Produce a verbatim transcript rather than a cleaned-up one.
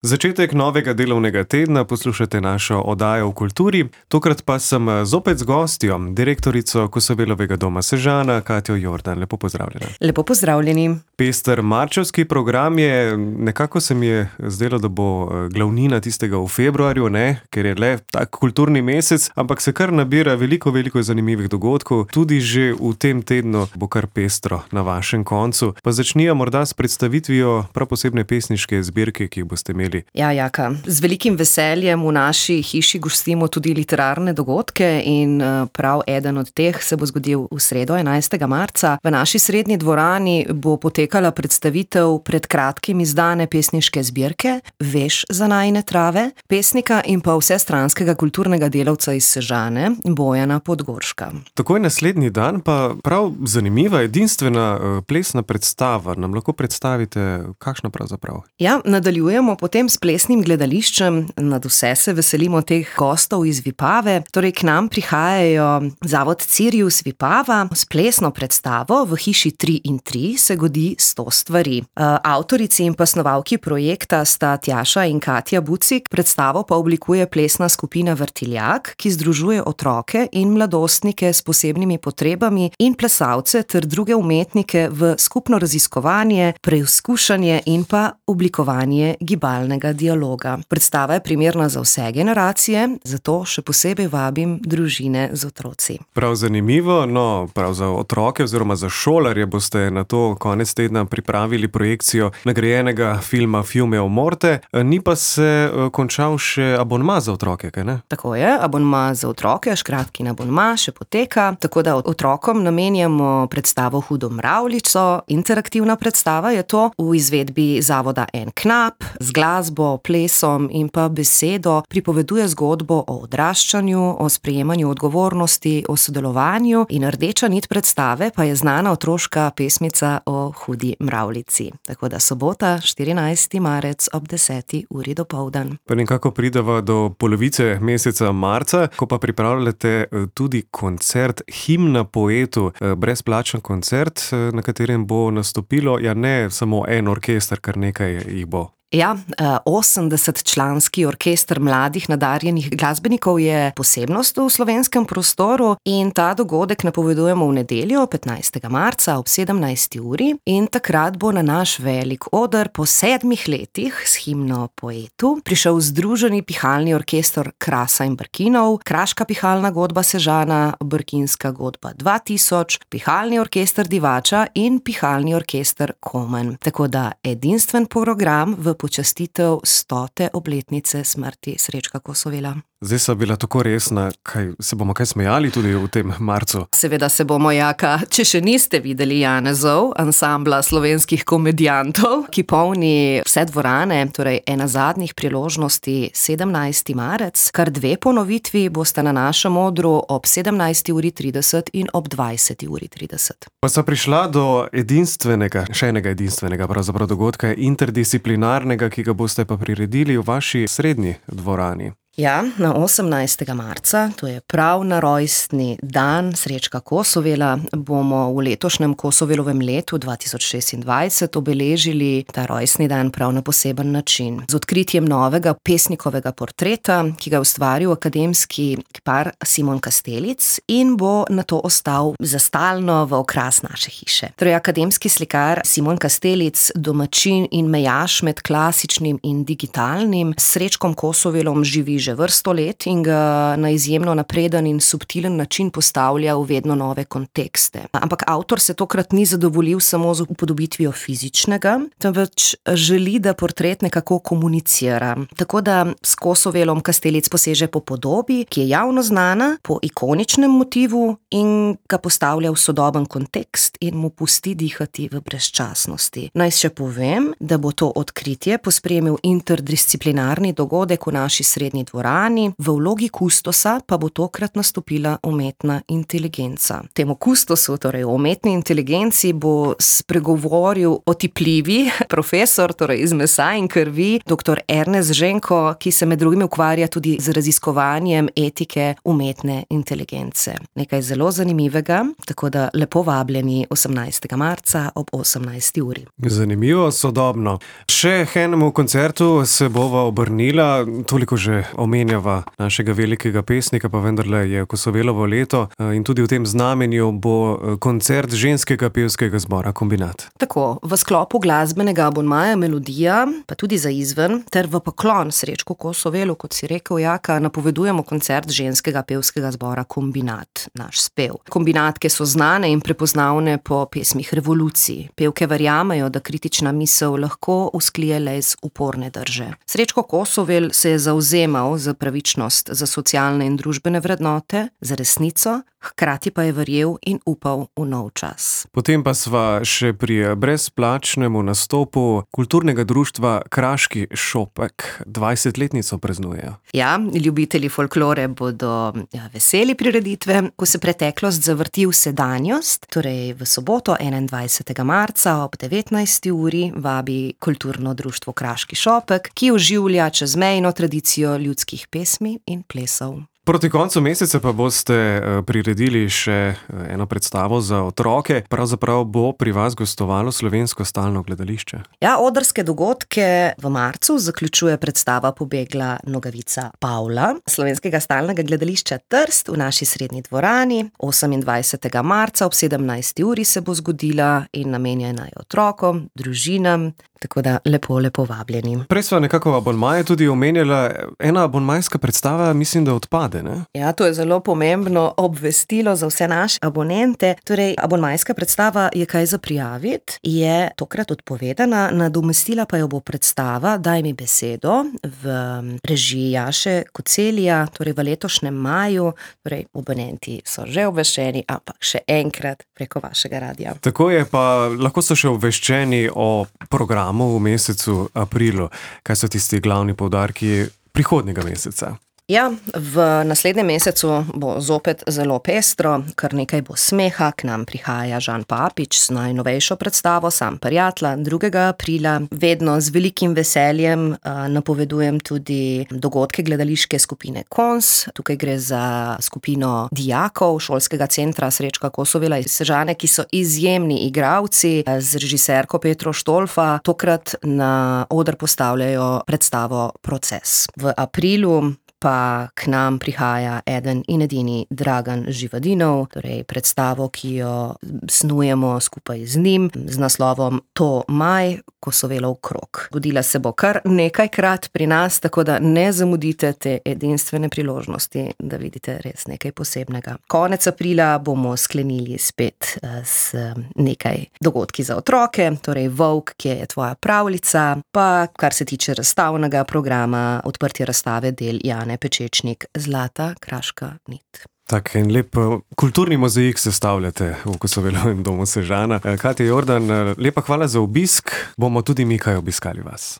Začetek novega delovnega tedna poslušate našo oddajo v kulturi, tokrat pa sem zopet z gostjo, direktorico Kosovelovega doma Sežana, Katjo Jordan. Lepo pozdravljena. Lepo pozdravljeni. Pester marčevski program je, nekako se mi je zdelo, da bo glavnina tistega v februarju, ne, ker je le tak kulturni mesec, ampak se kar nabira veliko, veliko zanimivih dogodkov, tudi že v tem tednu bo kar pestro na vašem koncu. Pa začnija morda s predstavitvijo prav posebne pesniške zbirke, ki jih boste imeli. Ja, Jaka, z velikim veseljem v naši hiši gostimo tudi literarne dogodke in prav eden od teh se bo zgodil v sredo, enajstega marca. V naši srednji dvorani bo potekala predstavitev pred kratkim izdane pesniške zbirke Veš za najine trave, pesnika in pa vsestranskega kulturnega delavca iz Sežane, Bojana Podgorška. Takoj naslednji dan pa prav zanimiva, edinstvena plesna predstava. Nam lahko predstavite, kakšna pravzaprav? Ja, nadaljujemo potem s plesnim gledališčem, nadvse se veselimo teh gostov iz Vipave, torej k nam prihajajo zavod Cirius Vipava s plesno predstavo V hiši tri in tri se godi sto stvari. Avtorici in pa snovalki projekta sta Tjaša in Katja Bucik, predstavo pa oblikuje plesna skupina Vrtiljak, ki združuje otroke in mladostnike s posebnimi potrebami in plesalce ter druge umetnike v skupno raziskovanje, preizkušanje in pa oblikovanje gibalnega dialoga. Predstava je primerna za vse generacije, zato še posebej vabim družine z otroci. Prav zanimivo, no, prav za otroke oziroma za šolarje boste na to konec tedna pripravili projekcijo nagrajenega filma Fiume o morte, ni pa se končal še abonma za otroke, kaj ne? Tako je, abonma za otroke, škratkin abonma še poteka, tako da otrokom namenjamo predstavo Hudo mravljico, interaktivna predstava je to, v izvedbi zavoda En knap, z glasbo, plesom in pa besedo pripoveduje zgodbo o odraščanju, o sprejemanju odgovornosti, o sodelovanju in rdeča nit predstave pa je znana otroška pesmica o Hudi mravljici. Tako da sobota, štirinajsti marec ob deseti uri dopoldan. Pa nekako prideva do polovice meseca marca, ko pa pripravljate tudi koncert Himna poetu, brezplačen koncert, na katerem bo nastopilo, ja ne samo en orkester, kar nekaj jih bo. Ja, osemdesetčlanski orkester mladih nadarjenih glasbenikov je posebnost v slovenskem prostoru in ta dogodek napovedujemo v nedeljo, petnajstega marca ob sedemnajsti uri in takrat bo na naš velik oder po sedmih letih s Himno poetu prišel združeni pihalni orkester Krasa in Brkinov, Kraška pihalna godba Sežana, Brkinska godba dva tisoč, pihalni orkester Divača in pihalni orkester Komen. Tako da edinstven program v počastitev stote obletnice smrti Srečka Kosovela. Zdaj so bila tako resna, kaj, se bomo kaj smejali tudi v tem marcu? Seveda se bomo, Jaka. Če še niste videli Janezov, ansambla slovenskih komedijantov, ki polni vse dvorane, torej ena zadnjih priložnosti sedemnajsti marec, kar dve ponovitvi bosta na našem odru ob sedemnajsti uri trideset in ob dvajseti uri trideset. Pa sta prišla do edinstvenega, še enega edinstvenega pravzaprav dogodka, interdisciplinarnega, ki ga boste pa priredili v vaši srednji dvorani. Ja, na osemnajstega marca, to je prav na rojstni dan Srečka Kosovela, bomo v letošnjem Kosovelovem letu dva tisoč šestindvajset obeležili ta rojstni dan prav na poseben način. Z odkritjem novega pesnikovega portreta, ki ga je ustvaril akademski kipar Simon Kastelic in bo nato ostal za stalno v okras naše hiše. Torej, akademski slikar Simon Kastelic, domačin in mejaš med klasičnim in digitalnim, s Srečkom Kosovelom živi že vrsto let in ga na izjemno napreden in subtilen način postavlja v vedno nove kontekste. Ampak avtor se tokrat ni zadovoljil samo z upodobitvijo fizičnega, temveč želi, da portret nekako komunicira. Tako da s Kosovelom Kastelic poseže po podobi, ki je javno znana, po ikoničnem motivu in ga postavlja v sodoben kontekst in mu pusti dihati v brezčasnosti. Naj še povem, da bo to odkritje pospremil interdisciplinarni dogodek v naši srednji dvorani dvorani, v vlogi kustosa pa bo tokrat nastopila umetna inteligenca. Temu kustosu, torej umetni inteligenci, bo spregovoril otipljivi profesor, torej iz mesa in krvi, doktor Ernest Ženko, ki se med drugim ukvarja tudi z raziskovanjem etike umetne inteligence. Nekaj zelo zanimivega, tako da lepo vabljeni osemnajstega marca ob osemnajsti uri. Zanimivo, sodobno. Še k enemu koncertu se bova obrnila, toliko že omenjava našega velikega pesnika, pa vendarle je Kosovelovo leto in tudi v tem znamenju bo koncert ženskega pevskega zbora Kombinat. Tako, v sklopu glasbenega abonmaja Melodija, pa tudi za izven, ter v poklon Srečku Kosovelu, kot si rekel, Jaka, napovedujemo koncert ženskega pevskega zbora Kombinat, naš spev. Kombinatke so znane in prepoznavne po pesmih revolucij. Pevke verjamejo, da kritična misel lahko usklije le iz uporne drže. Srečko Kosovel se je zavzemal za pravičnost, za socialne in družbene vrednote, za resnico, hkrati pa je verjel in upal v nov čas. Potem pa sva še pri brezplačnemu nastopu kulturnega društva Kraški šopek. dvajsetletnico praznujejo. Ja, ljubitelji folklore bodo ja, veseli prireditve, ko se preteklost zavrti v sedanjost, torej v soboto enaindvajsetega marca ob devetnajsti uri vabi kulturno društvo Kraški šopek, ki oživlja čezmejno tradicijo ljudskih pesmi in plesov. Proti koncu meseca pa boste priredili še eno predstavo za otroke. Pravzaprav bo pri vas gostovalo Slovensko stalno gledališče. Ja, odrske dogodke v marcu zaključuje predstava Pobegla nogavica Pavla Slovenskega stalnega gledališča Trst v naši srednji dvorani. osemindvajsetega marca ob sedemnajsti uri se bo zgodila in namenjena je otrokom, družinam, tako da lepo, lepo vabljeni. Prej sva nekako abonmaje tudi omenjala, ena abonmajska predstava mislim, da odpade. Ne? Ja, to je zelo pomembno obvestilo za vse naše abonente. Torej, abonmajska predstava Je kaj za prijaviti, je tokrat odpovedana, nadomestila pa jo bo predstava Daj mi besedo v režiji Jaše Kocelija, torej v letošnjem maju. Torej, abonenti so že obveščeni, ampak še enkrat preko vašega radia. Tako je, pa lahko so še obveščeni o programu v mesecu aprilu. Kaj so tisti glavni poudarki prihodnjega meseca? Ja, v naslednjem mesecu bo zopet zelo pestro, kar nekaj bo smeha, k nam prihaja Žan Papič s najnovejšo predstavo Sam prijatla drugega aprila. Vedno z velikim veseljem uh, napovedujem tudi dogodke gledališke skupine Kons. Tukaj gre za skupino dijakov šolskega centra Srečka Kosovela iz Sežane, ki so izjemni igralci z režiserko Petro Štolfa. Tokrat na oder postavljajo predstavo Proces. V aprilu pa k nam prihaja eden in edini Dragan Živadinov, torej predstavo, ki jo snujemo skupaj z njim, z naslovom To maj, Kosovelov krog. Zgodila se bo kar nekajkrat pri nas, tako da ne zamudite te edinstvene priložnosti, da vidite res nekaj posebnega. Konec aprila bomo sklenili spet s nekaj dogodki za otroke, torej Volk, ki je tvoja pravljica, pa kar se tiče razstavnega programa, odprtje razstave del Jane Pečečnik Zlata kraška nit. Tak en lep kulturni mozaik sestavljate v Kosovelovem domu Sežana. Katja Jordan, lepa hvala za obisk, bomo tudi mi kaj obiskali vas.